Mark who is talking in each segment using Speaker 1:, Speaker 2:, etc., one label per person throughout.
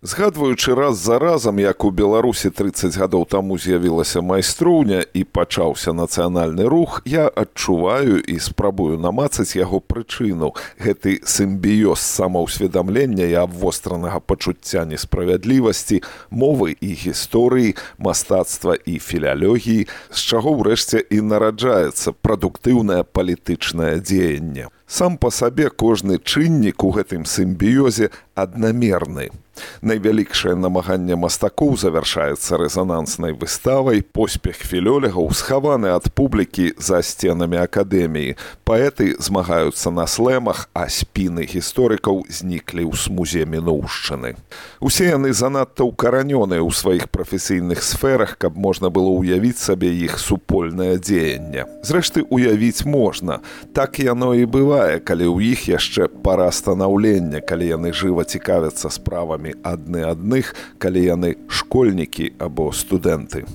Speaker 1: Згадваючы раз за разам, як у Беларусі 30 гадоў таму з'явілася майстроўня і пачаўся нацыянальны рух, я адчуваю і спрабую намацаць яго прычыну. Гэты сімбіёз самаўсведамлення і абвостранага пачуцця несправядлівасці, мовы і гісторыі, мастацтва і філялогіі, з чаго ўрэшце і нараджаецца прадуктыўнае палітычнае дзеянне. Сам па сабе кожны чыннік у гэтым сімбіёзе аднамерны. Найвялікшае намаганне мастакоў завяршаецца рэзананснай выставай, поспех філёлегаў схаваны ад публікі за сценамі акадэміі. Паэты змагаюцца на слэмах, а спіны гісторыкаў зніклі ў смузе мінуўшчыны. Усе яны занадта ўкаранёныя ў сваіх прафесійных сферах, каб можна было ўявіць сабе іх супольнае дзеянне. Зрэшты, уявіць можна. Так яно і бывае, калі ў іх яшчэ пара станаўлення, калі яны жыва цікавяцца справамі адны адных, калі яны школьнікі або студэнты.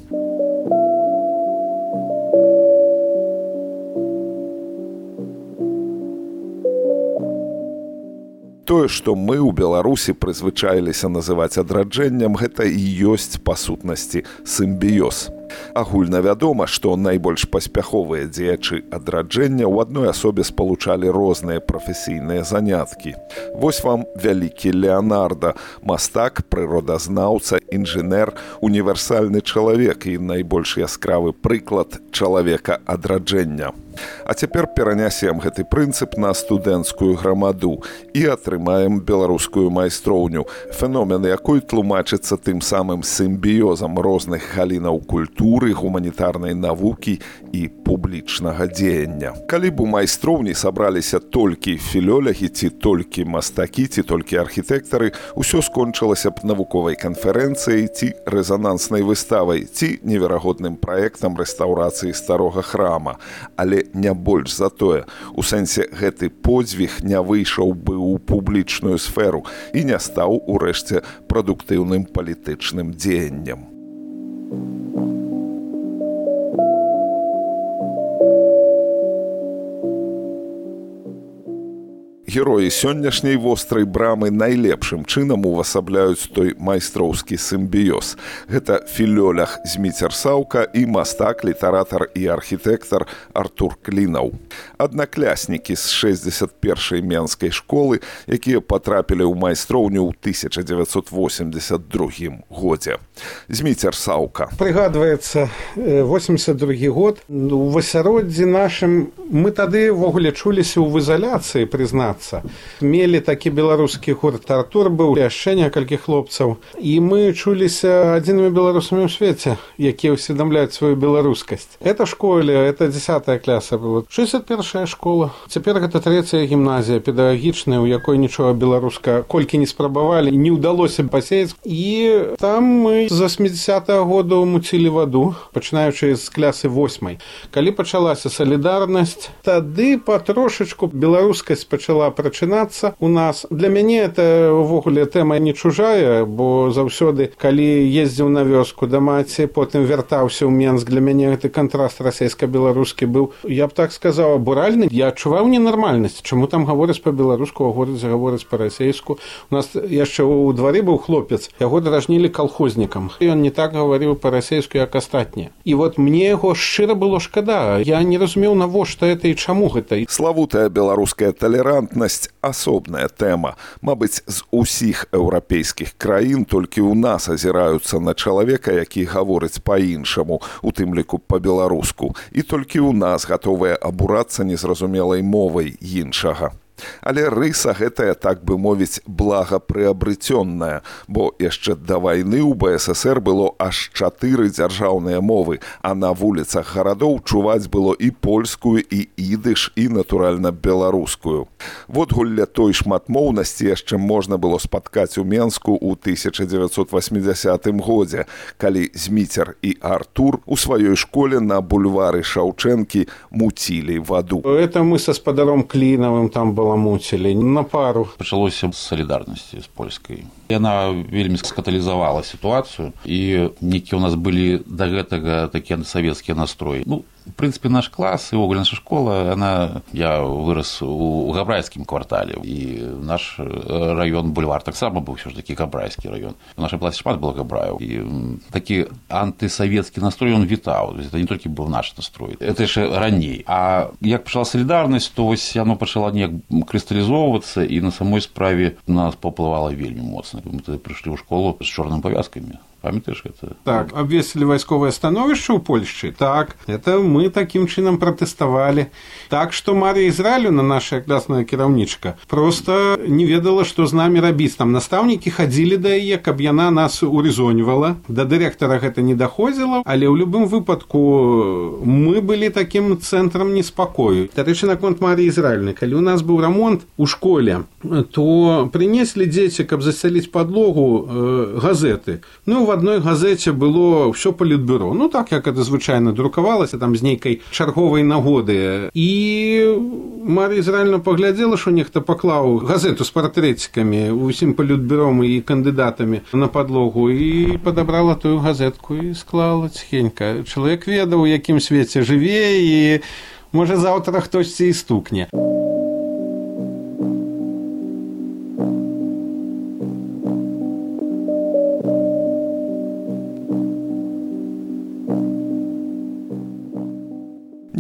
Speaker 1: Тое, што мы ў Беларусі прызвычаіліся называць адраджэннем, гэта і ёсць па сутнасці сімбіёз. Агульна вядома, што найбольш паспяховыя дзеячы адраджэння ў адной асобе спалучалі розныя прафесійныя заняткі. Вось вам вялікі Леанарда, мастак, прыродазнаўца, інжынер, універсальны чалавек і найбольш яскравы прыклад чалавека адраджэння. А цяпер перанясем гэты прынцып на студэнцкую грамаду і атрымаем беларускую майстроўню, феномен якой тлумачыцца тым самым сімбіёзам розных галінаў культуры, гуманітарнай навукі і публічнага дзеяння. Калі б у майстроўні сабраліся толькі філёлягі, ці толькі мастакі, ці толькі архітэктары, усё скончылася б навуковай канферэнцыяй, ці рэзананснай выставай, ці неверагодным праектам рэстаўрацыі старога храма. Але не больш за тое. У сэнсе, гэты подзвіг не выйшаў бы ў публічную сферу і не стаў, урэшце, прадуктыўным палітычным дзеяннем. Героі сённяшняй вострай брамы найлепшым чынам увасабляюць той майстроўскі сімбіёз. Гэта філёлях Зміцер Саўка і мастак, літаратар і архітэктар Артур Клінаў. Аднакляснікі з 61-й менскай школы, якія патрапілі ў майстроўню ў 1982 годзе. Зміцер Саўка.
Speaker 2: Прыгадваецца 82 год. У асяроддзі нашым мы тады ввогуле чуліся ў ізаляцыі, прызнацца. Мелі такі беларускі гурт Артур быў, яшчэ некалькі хлопцаў. І мы чуліся адзінымі беларусамі ў свеце, якія ўсведамляюць сваю беларускасць. Это школе, это 10-я класа была. 61-я школа. Цяпер гэта 3-я гімназія педагагічная, у якой нічога беларуска колькі не спрабавалі, не ўдалося пасеяць. І там мы з 80-го года муцілі ваду, пачынаючы з клясы 8-й. Калі пачалася салідарнасць, тады патрошачку беларускасць пачала прачынацца у нас. Для мяне это ўвогуле тэма не чужая, бо заўсёды, калі ездзіў на вёску да маці, потым вяртаўся ў Менск, для мяне гэты кантраст расійска-беларускі быў, я б так сказаў, абуральны. Я адчуваў ненармальнасць. Чаму там гавораць па-беларуску, а горадзе гавораць па-расейску? У нас яшчэ ў двары быў хлопец, яго дражнілі калхознікам. Ён не так гаварыў па-расейску, як астатнія. І вот мне яго шчыра было шкада. Я не разумеў, навошта гэта і чаму гэта.
Speaker 1: Славутая беларуская талерантнасць – асобная тэма. Мабыць, з усіх еўрапейскіх краін толькі ў нас азіраюцца на чалавека, які гаворыць па-іншаму, у тым ліку па-беларуску. І толькі ў нас гатовыя абурацца незразумелай мовай іншага. Але рыса гэтая, так бы мовіць, благапрыабрыцённая, бо яшчэ да вайны ў БССР было аж 4 дзяржаўныя мовы, а на вуліцах гарадоў чуваць было і польскую, і ідыш, і, натуральна, беларускую. Водгулля той шматмоўнасці яшчэ можна было спаткаць у Менску ў 1980 годзе, калі Зміцер і Артур у сваёй школе на бульвары Шаўчэнкі муцілі ваду.
Speaker 2: Это мы са спадаром Клінавым там было муцілі на пару.
Speaker 3: Пачалося з салідарнасці з польскай. Яна вельмі скаталізавала сітуацыю, і нейкія ў нас былі да гэтага такія антысавецкія настроі. В принципе, наш класс и наша школа, я вырос у габрайскім квартале, і наш район бульвар таксама быў все ж таки габрайскі район. У нашай класе шмат было габраяў, і такі антысавецкі настрой он вітаў. Это не толькі быў наш настрой, это яшчэ раней. А як пачала салідарнасць, то вось яно пачала неяк крысталізоўвацца, і на самой справе нас паўплывала вельмі моцна. Мы тады прыйшлі ў школу з чорнымі павязкамі. Памятаеш гэта?
Speaker 2: Так, абвесілі вайсковае становішча ў Польшчы. Так, это мы такім чынам пратэставалі. Так што Марія Ізраілёўна, наша класная кіраўнічка, проста не ведала, што з намі рабіць. Там настаўнікі хадзілі да яе, каб яна нас урызоньвала. Да дырэктара гэта не даходзіла, але ў любым выпадку мы былі такім цэнтрам неспакою. Дарэчы, наконт Маріі Ізраілёўны, калі у нас быў рамонт у школе, то прынеслі дзеці, каб засяліць падлогу, газеты. В адной газеце было ўсё палітбюро. Так, як это звычайна друкавалася, там з нейкай чарговай нагоды. І Марія Ізраілёўна паглядзела, што нехта паклаў газету з партрэтикамі усім палітбюром і кандыдатамі на падлогу і падабрала тую газетку і склала ціхенька. Чалавек ведаў, у якім свеце жыве, і можа заўтра хтосьці і стукне.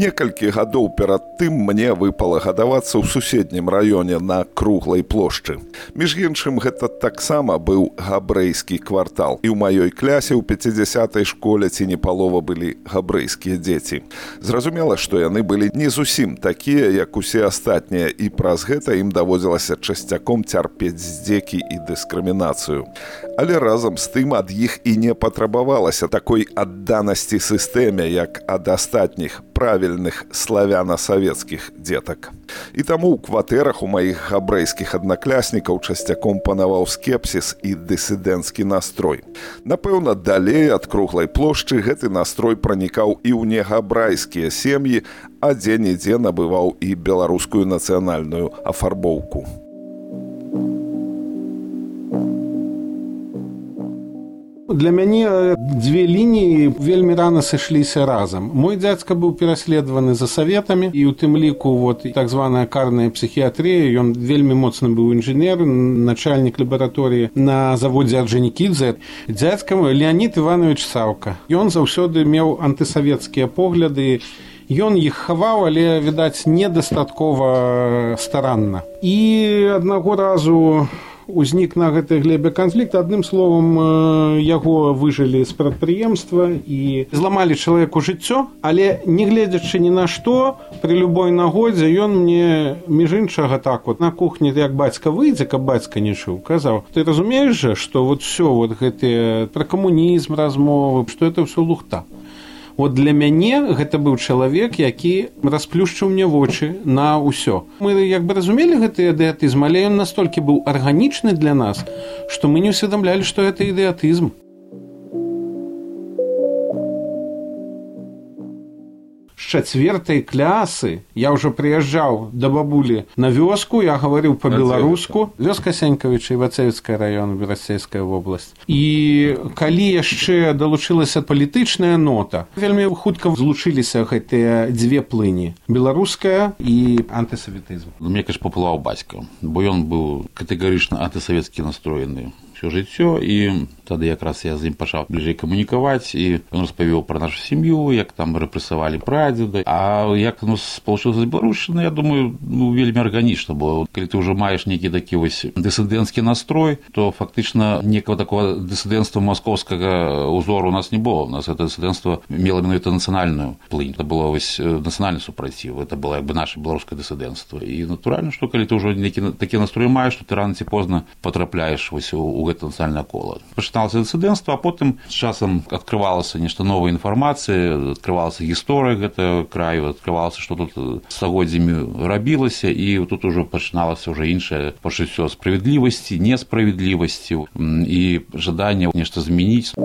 Speaker 1: Некалькі гадоў перад тым мне выпала гадавацца ў суседнім раёне на Круглай плошчы. Між іншым, гэта таксама быў габрэйскі квартал. І ў маёй клясе ў 50-й школе ці не палова былі габрэйскія дзеці. Зразумела, што яны былі не зусім такія, як усе астатнія, і праз гэта ім даводзілася часцяком цярпець здзекі і дыскрымінацыю. Але разам з тым ад іх і не патрабавалася такой адданасці сістэме, як ад астатніх правільных славяна-савецкіх дзетак. І таму ў кватэрах у маіх габрэйскіх аднакляснікаў часцяком панаваў скепсіс і дысідэнцкі настрой. Напэўна, далей ад Круглай плошчы гэты настрой пранікаў і ў негабрайскія сем'і, а дзе-нідзе набываў і беларускую нацыянальную афарбоўку.
Speaker 2: Для мяне дзве лініі вельмі рана сышліся разам. Мой дзядзька быў пераследаваны за саветамі, і ў тым ліку так званая карная псіхіятрыя. Ён вельмі моцны быў інжынер, начальнік лабараторыі на заводзе Орджанікідзе. Дзядзька Леонід Іванович Саўка. Ён заўсёды меў антысавецкія погляды. Ён іх хаваў, але, відаць, недастаткова старанна. І аднаго разу узнік на гэтай глебе канфлікт. Адным словам, яго выжылі з прадпрыемства і зламалі чалавеку жыццё, але не гледзячы ні на што, пры любой нагодзе ён мне, між іншага, так на кухні, як бацька выйдзе, каб бацька не чуў, казаў: ты разумееш жа, што ўсё гэтыя пра камунізм размовы, што это ўсё лухта. Для мяне гэта быў чалавек, які расплюшчыў мне вочы на ўсё. Мы разумелі гэты ідэатызм, але ён настолькі быў арганічны для нас, што мы не ўсведамлялі, што гэта ідэатызм. З 4-й клясы я ўжо прыязджаў да бабулі на вёску, я гаварыў па-беларуску. Вёска Сенькавіча, Івацевіцкая раён, Берасцейская вобласць. І калі яшчэ далучылася палітычная нота, вельмі хутка злучыліся гэтыя дзве плыні: беларуская і антысаветызм.
Speaker 3: Мне, конечно, паплываў бацька, бо ён быў катэгарычна антысавецкі настроены ўсё жыццё, і тады якраз я з ім пачаў бліжэй камунікаваць, і ён распавёў пра нашу сям'ю, як там рэпрэсавалі прадзеда. А як получылася з беларушчыны, я думаю, вельмі арганічна, бо калі ты ўжо маеш нейкі такі вось дысідэнцкі настрой, то фактычна некага такого дысідэнцтва маскоўскага ўзору у нас не было. У нас гэта дысідэнцтва мела менавіта нацыянальную плынь. Это было вось нацыянальны супраціў, это было наша беларускае дысідэнцтва. І натуральна, што калі ты ўжо такі настрой маеш, то ты рана ці позна потрапляеш вось у гэта нацыянальнае кола. Пачыналася дысідэнцтва, а потым з часам адкрывалася нешта новая інфармацыя, адкрывалася гісторыя гэтага краю, адкрывалася, што тут стагоддзямі рабілася, і тут ужо пачыналася ўжо іншае пачуццё справядлівасці, несправядлівасці і жаданне нешта змяніць.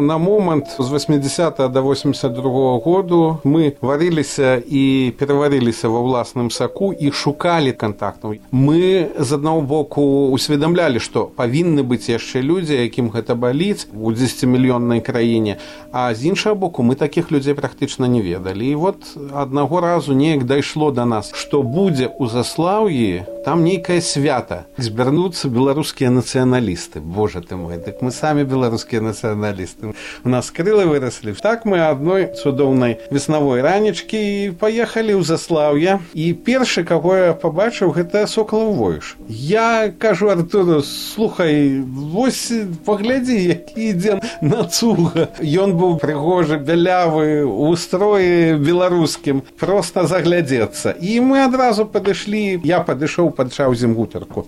Speaker 2: На момент з 80 до 82 году мы варыліся і пераварыліся ва ўласным саку і шукалі кантактаў. Мы з аднаго боку усведамлялі, што павінны быць яшчэ людзі, якім гэта баліць у 10-мільённай краіне, а з іншага боку мы такіх людзей практычна не ведалі. І вот аднаго разу неяк дайшло до нас, што будзе ў Заслаўі там нейкае свята, збярнуцца беларускія нацыяналісты. Боже ты мой, дык мы самі беларускія нацыяналісты. У нас крылы выраслі. Так мы адной цудоўнай веснавой ранечкі і паехалі ў Заслаўе. І першы, каго я пабачыў, гэта Сокалаў Войш. Я кажу Артуру: слухай, вось паглядзі, які ідзе нацуга. Ён быў прыгожы, бялявы, у строі беларускім, проста заглядзецца. І мы адразу падышлі, я падышоў, пачаў з ім гутарку.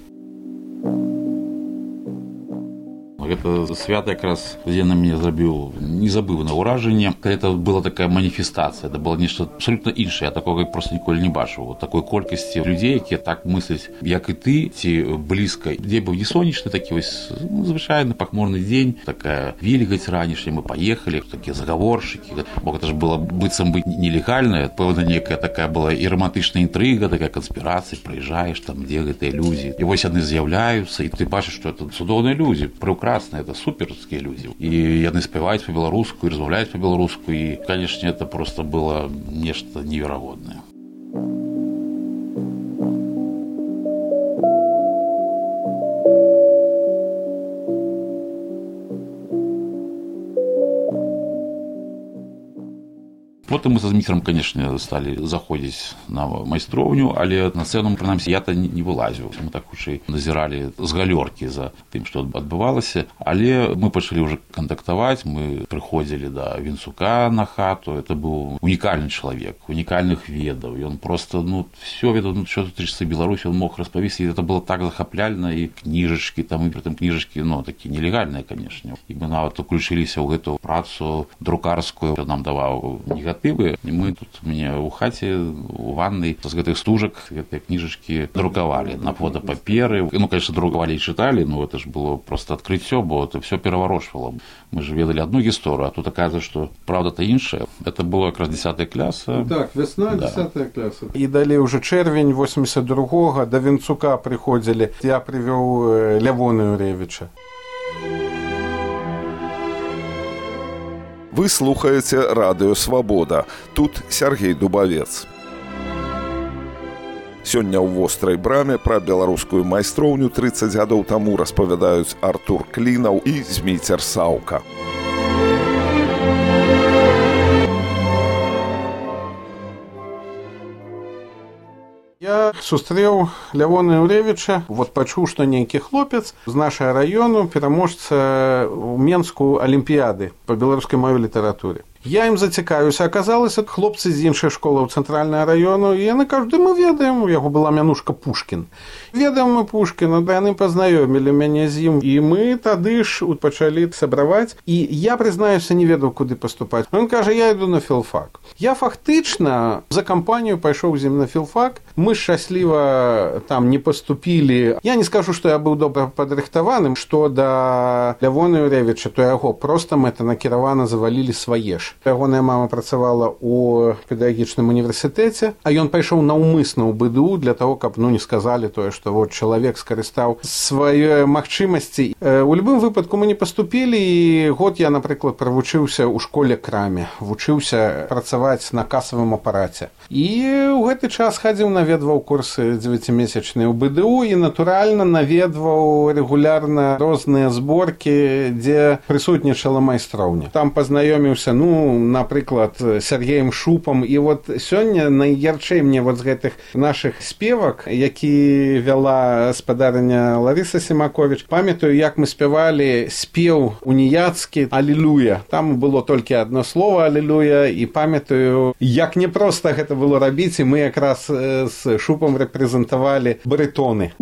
Speaker 3: Гэта свята якраз, дзе на мяне зрабіў незабыўнае ўражанне. Это была такая маніфестацыя, это было нешта абсолютна іншае. Я такога проста ніколі не бачыў. Такой колькасці людзей, якія так мысляць, як і ты, ці блізка. Дзень быў не сонечны, такі вось звычайны пахмурны дзень, такая вільгаць ранішняя, мы паехалі, такія загаворшчыкі. Бо гэта ж было быццам бы нелегальна, пэўна нейкая такая была і романтычная інтрыга, такая канспірацыя, прыязджаеш там, дзе гэтыя людзі. І вось яны з'яўляюцца, і ты бачыш, што это цудоўныя людзі, прекрасна. Это суперские люди. И яны спевают по-белорусски, и размовляют по-белорусски. И, конечно, это просто было нечто невероятное. Потым мы са Зміцерам, конечно, сталі заходзіць на майстроўню, але на сцэну, прынамсі, я-то не вылазіў. Мы так хутчэй назіралі з галёркі за тым, што адбывалася. Але мы пачалі ўжо кантактаваць, мы прыходзілі да Вінцука на хату. Это быў унікальны чалавек, унікальных ведаў. Ён просто, всё ведаў, што тычыцца Беларусі, ён мог распавесці. І это было так захапляльна, і кніжачкі, там, і прытым кніжачкі, такі нелегальныя, канешне. І мы нават уключыліся ў гэту працу друкарскую, нам даваў негатыў. І мы тут мне ў хаце, у ваннай з гэтых стужак гэтыя кніжачкі друкавалі на фотапаперы. Конечно, друкавалі і чыталі, это ж было просто адкрыццё, бо это все пераварочвала. Мы ж ведалі одну гісторыю, а тут аказваецца, што правда-то іншая. Это было якраз 10 класа.
Speaker 2: Так, весна, 10 класа. І далей уже чэрвень 82-го да Вінцука прыходзілі. Я прывёў Лявона Юревіча.
Speaker 1: Вы слухаеце радыё «Свабода». Тут Сергей Дубавец. Сёння ў вострай браме пра беларускую майстроўню 30 гадоў таму распавядаюць Артур Клінаў і Зміцер Саўка.
Speaker 2: Я сустрэў Лявона Юревіча, пачуў, што нейкі хлопец з нашага раёну, пераможца ў Менску алімпіяды па беларускай мове літаратуры. Я ім зацікавіўся, аказалася, хлопцы з іншых школаў цэнтральнага раёну, і яны кажуць: мы ведаем, у яго была мянушка Пушкін. Ведаем мы Пушкіна, яны пазнаёмілі мяне з ім, і мы тады ж пачалі сабраваць, і я, прызнаюся, не ведаў, куды паступаць. Ён кажа: я іду на філфак. Я фактычна за кампанію пайшоў з ім на філфак, мы шчасліва там не паступілі. Я не скажу, што я быў добра падрыхтаваным, што да Лявона Юревіча, то яго проста мэтанакіравана завалілі свае ж. Ягоная мама працавала ў педагагічным універсітэце, а ён пайшоў наўмысна ў БДУ для таго, каб не сказалі тое, што чалавек скарыстаў свае магчымасці. У любым выпадку мы не паступілі, і год я, напрыклад, правучыўся ў школе-краме, вучыўся працаваць на касавым апараце. І ў гэты час хадзіў, наведваў курсы 9-месячныя ў БДУ і, натуральна, наведваў рэгулярна розныя зборкі, дзе прысутнічала майстроўня. Там пазнаёміўся, напрыклад, Сергеем Шупам. І сёння найярчэй мне з гэтых нашых спевак, які вяла спадарыня Ларыса Семаковіч, памятаю, як мы спявалі спеў уніяцкі «Алілуя». Там было толькі адно слово «Алілуя», і памятаю, як непроста гэта было рабіць, і мы якраз з Шупам рэпрэзентавалі барытоны.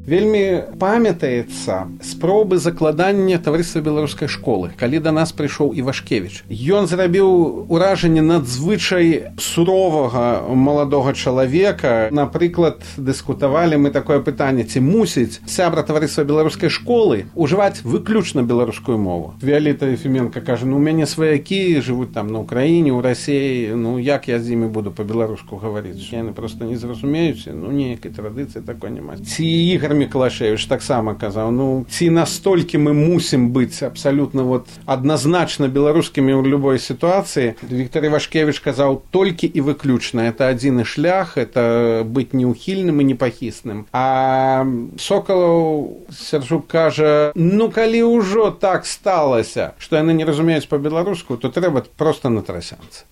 Speaker 2: Вельмі памятаецца спробы закладання таварыства беларускай школы, калі да нас прыйшоў Івашкевіч. Ён зрабіў уражанне надзвычай суровага маладога чалавека. Напрыклад, дыскутавалі мы такое пытанне, ці мусіць сябра таварыства беларускай школы ўжываць выключна беларускую мову. Віолетта Ефіменка кажа, у мяне сваякі жывуць там на Украіне, у Расіі, як я з імі буду па-беларуску гаварыць? Яны проста не зразумеюць, ніякай традыцыі такой няма. Ці Ігор Мікалашевіч таксама казаў, ці настолькі мы мусім быць абсалютна адназначна беларускімі ў любой сітуацыі. Віктор Івашкевіч казаў, толькі і выключна. Это адзіны шлях, это быць неухільным і непахісным. А Сокалаў Сяржук кажа, калі ўжо так сталася, што яны не разумеюць па-беларуску, то трэба проста на трасянцы.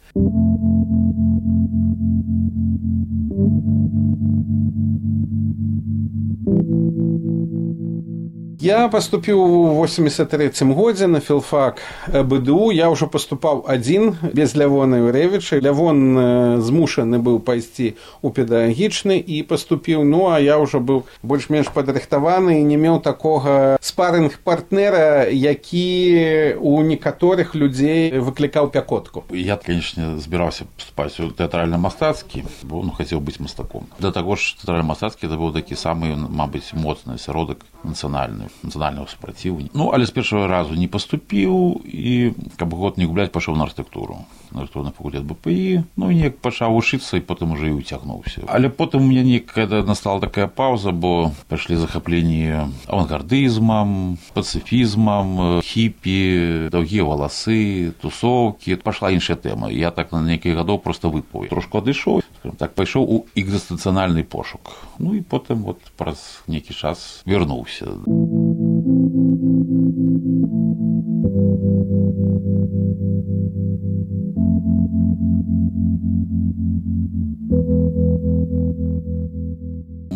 Speaker 2: Я паступіў у 83-м годзе на філфак БДУ. Я ўжо паступаў адзін, без Лявона Юрэвіча. Лявон змушаны быў пайсці ў педагагічны і паступіў. А я ўжо быў больш-менш падрыхтаваны і не меў такога спарынг-партнера, які у некаторых людзей выклікаў пякотку.
Speaker 3: Я, конечно, збіраўся паступаць у тэатральна-мастацкі, бо хацеў быць мастаком. Да таго ж тэатральна-мастацкі это быў такі самы, мабыць, моцны асяродак нацыянального супротиву. Але з першага разу не паступіў і, каб год не губляць, пашоў на архітэктуру. На архітэктурны факультэт БПІ. Неяк пачаў вучыцца і потым уже і уцягнуўся. Але потым у мяне настала такая паўза, бо пайшлі захапленні авангардызмам, пацыфізмам, хіпі, доўгія валасы, тусоўкі. Пашла іншая тэма. Я так на некалькі гадоў проста выпаў. Трошку адышоў, так пайшоў у экзістэнцыянальны пошук. І потым праз нейкі час вярнуўся.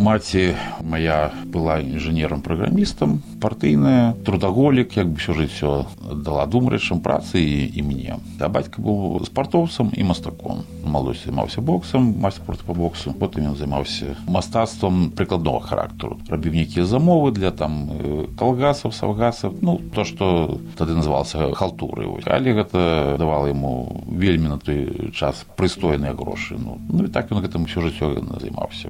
Speaker 3: Маці моя была інжынерам-праграмістам, партыйная, трудаголік, ўсё жыццё дала думаючым працы і мне. А бацька быў спартоўцам і мастаком. Маладосці займаўся боксам, майстар спорту па боксу. Потым ён займаўся мастацтвам прыкладнога характару. Рабіў нейкія замовы для калгасаў, саўгасаў, то, што тады называлася халтурай. Але гэта давала яму вельмі на той час прыстойныя грошы. І так ён гэтым усё жыццё займаўся.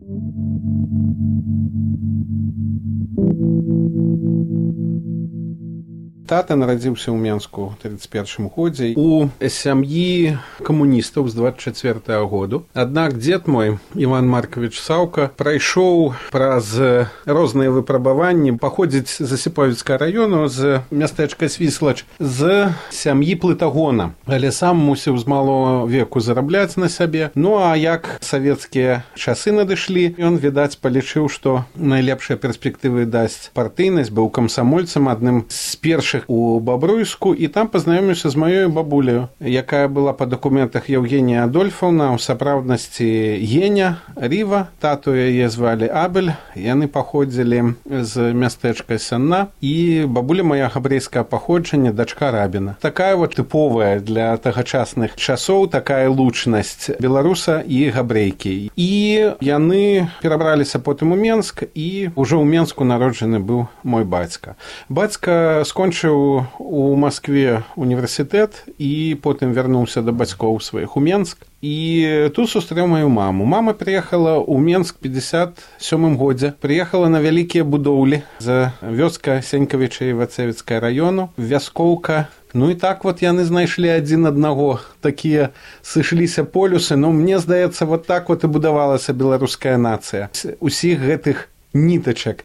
Speaker 2: Тата нарадзіўся ў Менску ў 31 годзе у сям'і камуністаў з 24 году. Аднак дзед мой, Іван Маркович Саўка, прайшоў праз розныя выпрабаванні, паходзіць з Асіповіцкага раёну, з мястэчка Свіслач, з сям'і Плытагона. Але сам мусіў з малого веку зарабляць на сябе. А як савецкія часы надышлі, ён, відаць, палічыў, што найлепшыя перспектывы дасць партыйнасць, быў камсамольцам, адным з першых у Бабруйску, і там пазнаёміўся з маёй бабуляю, якая была па дакументах Евгения Адольфовна, у сапраўднасці Геня Ріва, тату яе звалі Абель, яны паходзілі з мястэчка Сянна, і бабуля моя габрэйскага паходжання, дачка рабіна. Такая тыповая для тагачасных часоў, такая лучнасць беларуса і габрэйкі. І яны перабраліся потым у Менск, і ўжо ў Менску народжаны быў мой бацька. Бацька скончыў у Маскве універсітэт і потым вярнуўся да бацькоў сваіх у Менск. І тут сустрэў маю маму. Мама прыехала ў Менск 57 годзе. Прыехала на вялікія будоўлі за вёска Сенькавіча і Вацевіцкага раёну, вяскоўка. І так яны знайшлі адзін аднаго. Такія сышліся полюсы. Мне здаецца, так і будавалася беларуская нацыя. Усіх гэтых нітачак.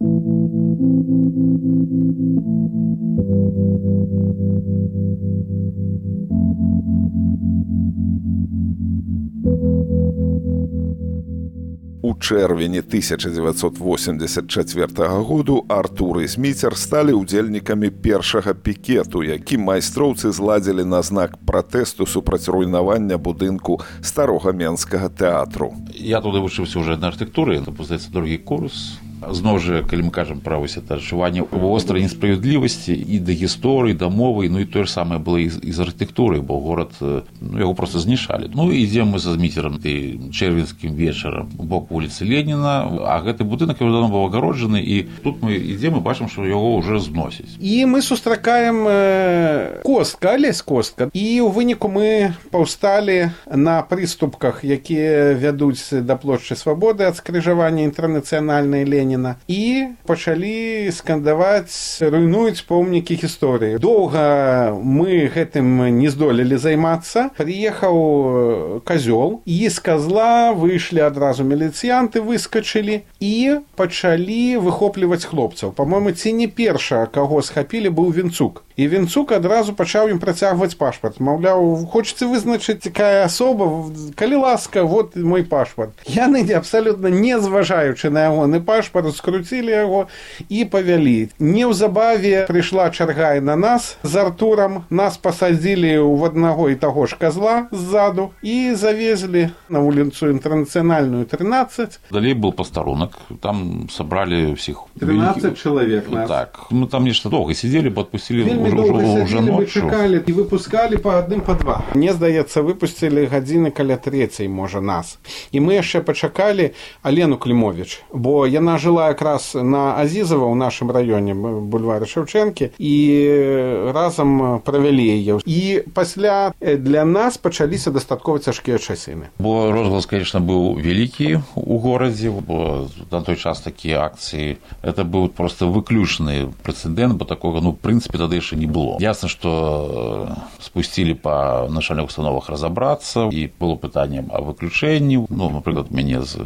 Speaker 1: У чэрвені 1984 году Артур і Зміцер сталі ўдзельнікамі першага пікету, які майстроўцы зладзілі на знак пратэсту супраць руйнавання будынку старога Менскага тэатру.
Speaker 3: Я туды вучыўся ўжо на архітэктуры, здаецца, другі курс. Зноў жа, калі мы кажам пра вось это адчуванне вострай несправядлівасці і да гісторыі, да мовы, ну і тое ж самае было і з архітэктурай, бо горад, ну, яго проста знішалі. Ну, ідзем мы са Зміцерам чэрвеньскім вечарам у бок вуліцы Леніна, а гэты будынак давно быў агароджаны, і тут мы ідзем і бачым, што яго ўжо зносяць.
Speaker 2: І мы сустракаем костка, алесь костка, і ў выніку мы паўсталі на прыступках, якія вядуць да плошчы Свабоды ад скрыжавання Інтэрнацыянальнай Леніна, і пачалі скандаваць, руйнуюць помнікі гісторыі. Доўга мы гэтым не здолелі займацца. Прыехаў казёл, і з казла выйшлі адразу міліцыянты, выскачылі і пачалі выхопліваць хлопцаў. Па-мойму, ці не перша, каго схапілі, быў Вінцук. І Вінцук адразу пачаў ім працягваць пашпарт. Маўляў, хочаце вызначыць, якая асоба, калі ласка, вот мой пашпарт. Яны абсалютна не зважаючы на ягоны пашпарт, скруцілі яго і павялі. Неўзабаве прыйшла чарга і на нас з Артурам. Нас пасадзілі ў аднаго і таго ж казла ззаду і завезлі на вуліцу Інтэрнацыянальную 13.
Speaker 3: Далей был пастарунак, там сабралі ўсіх
Speaker 2: 13 чалавек нас.
Speaker 3: Так, мы там нешта доўга сидзелі, бо адпусцілі
Speaker 2: уже ночью. Чакалі і выпускалі па адным, па два. Мне здаецца, выпусцілі гадзіны каля 3:00, можа, нас. І мы яшчэ пачакалі Алену Клімовіч, бо яна жыла якраз на Азізава ў нашым раёне, бульвары Шэўчэнкі, і разам правялі яе. І пасля для нас пачаліся дастаткова цяжкія часіны.
Speaker 3: Бо розгалас, конечно, быў вялікі ў горадзе, бо на той час такія акцыі, это быў просто выключны прэцэдэнт, бо такога, ну, в прынцыпе, тады яшчэ не было. Ясно, что спусцілі па начальных установах разобрацца, і было пытанне о выключэнні, ну, напрыклад, мяне з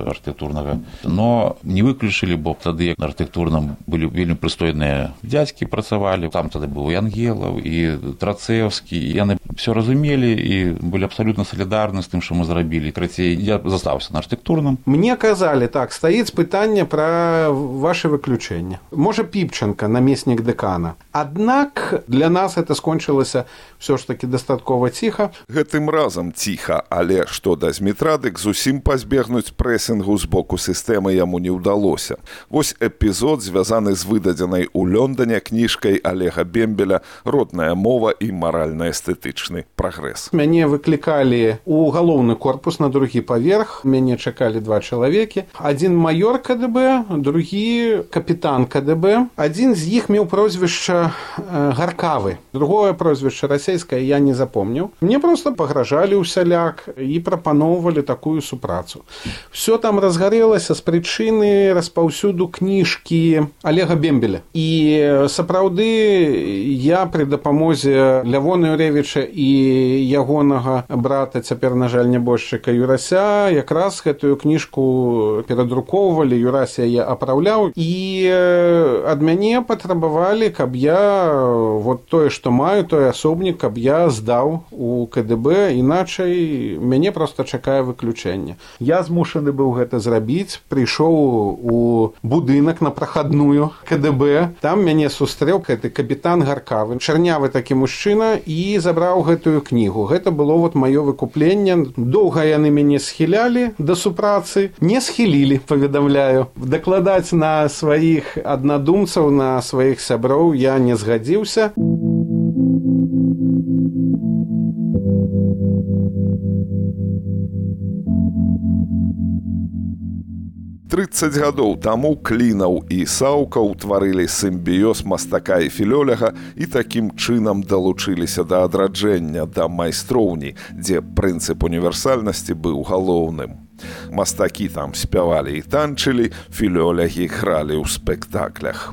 Speaker 3: архітэктурнага, но не выключылі, бо тады на архітэктурным былі вельмі прыстойныя дзядзькі працавалі, там тады быў і Ангелаў, і Трацэўскі, і яны все разумелі і былі абсалютна салідарны з тым, што мы зрабілі. Крацей, я застаўся на архітэктурным.
Speaker 2: Мне казалі, так, стаіць пытанне пра ваше выключэнне. Можа, Піпченка, намеснік дэкана. Аднак для нас это скончылася ўсё ж такі дастаткова ціха.
Speaker 1: Гэтым разам ціха, але што да Змітра, дык зусім пазбегнуць прэсінгу з боку сістэмы яму не ўдалося. Вось эпізод, звязаны з выдадзенай у Лондоне кніжкай Олега Бембеля «Родная мова і маральна-эстэтычны прагрэс».
Speaker 2: Мяне выклікалі ў галоўны корпус на другі паверх. Мяне чакалі 2 чалавекі. Адзін маёр КДБ, другі капітан КДБ. Адзін з іх меў прозвішча Гаркавы. Другое прозвішча расійскае я не запомніў. Мне проста пагражалі ўсяляк і прапаноўвалі такую супрацу. Всё там разгарэлася з прычыны распаўсюду кніжкі Олега Бембеля. І сапраўды я пры дапамозе Лявона Юревіча і ягонага брата, цяпер, на жаль, нябожчыка Юрася, якраз гэтую кніжку перадрукоўвалі, Юрась яе апраўляў, і ад мяне патрабавалі, каб я вот тое, што маю, той асобнік, каб я здаў у КДБ, іначай мяне проста чакае выключэнне. Я змушаны быў гэта зрабіць, прыйшоў у будынак на прахадную КДБ, там мяне сустрэў гэты капітан Гаркавы, чарнявы такі мужчына, і забраў гэтую кнігу. Гэта было вот маё выкупленне. Доўга яны мяне схілялі да супрацы, не схілілі, паведамляю. Дакладаць на сваіх аднадумцаў, на сваіх сяброў я не згадзіўся.
Speaker 1: 30 гадоў таму Клінаў і Саўка ўтварылі сімбіёз мастака і філёляга і такім чынам далучыліся да адраджэння, да майстроўні, дзе прынцып універсальнасці быў галоўным. Мастакі там спявалі і танчылі, філёлягі гралі ў спектаклях.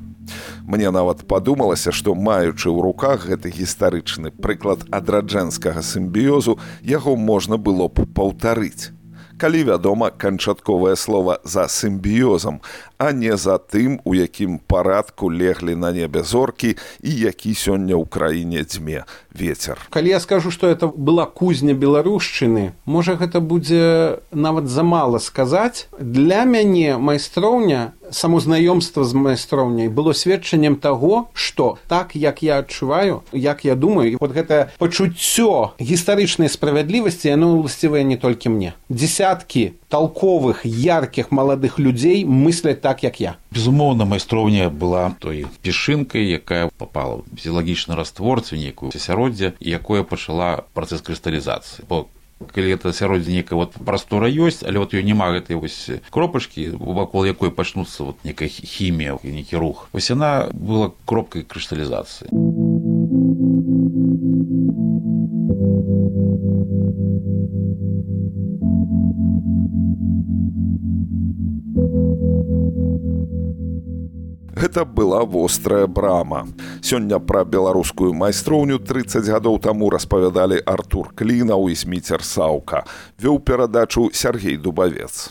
Speaker 1: Мне нават падумалася, што, маючы ў руках гэты гістарычны прыклад адраджэнскага сімбіёзу, яго можна было б паўтарыць. Калі, вядома, канчатковае слова за сімбіёзам, а не за тым, у якім парадку леглі на небе зоркі і які сёння ў краіне дзьме вецер.
Speaker 2: Калі я скажу, што это была кузня беларушчыны, можа, гэта будзе нават замала сказаць. Для мяне майстроўня само знаёмства з майстроўняй было сведчаннем таго, што так, як я адчуваю, як я думаю, і вот гэта пачуццё гістарычнай справядлівасці, яно ўласцівае не толькі мне. Дзесяткі толковых, яркіх маладых людзей мысляць так, як я.
Speaker 3: Безумоўна, майстроўня была той пешынкай, якая попала ў фізіялагічны раствор, ці нейкую асяроддзе, і якое пачала працэс крысталізацыі. Бо калі гэта асяроддзе нейкая прастора ёсць, але ёй няма гэтай кропачкі, вакол якой пачнуцца нейкая хімія, нейкі рух. Яна была кропкай крысталізацыі.
Speaker 1: Гэта была вострая брама. Сёння пра беларускую майстроўню 30 гадоў таму распавядалі Артур Клінаў і Зміцер Саўка. Вёў перадачу Сергей Дубавец.